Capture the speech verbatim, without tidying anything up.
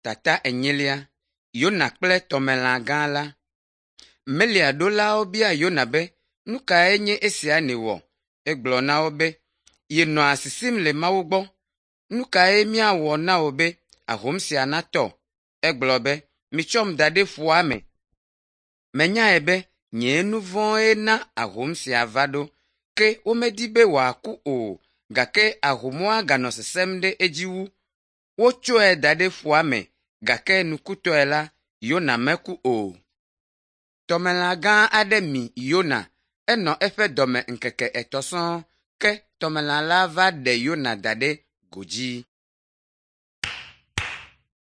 Tata enyilia Yona kple tɔmelã gã la. Melia ɖolawo bia Yona be, “Nu kae nye esia nèwɔ?” Egblɔ na wo be, yenɔa sisim le Mawu gbɔ. “Nu kae míawɔ na wò be ahom sia natɔ?” Egblɔ be, “Mitsɔm da ɖe ƒua me. Menyae be nye nu vɔ̃e na ahom sia va ɖo.” Ke womedi be wòaku o, gake ahomua ganɔ sesẽm ɖe edzi wu. Wotsɔe da ɖe ƒua me gake nukutɔe la, Yona meku o. Tɔmelã gã aɖe mi Yona. Enɔ eƒe dɔme ŋkeke etɔ̃ sɔŋ ke tɔmelã la va ɖe Yona da ɖe godzi.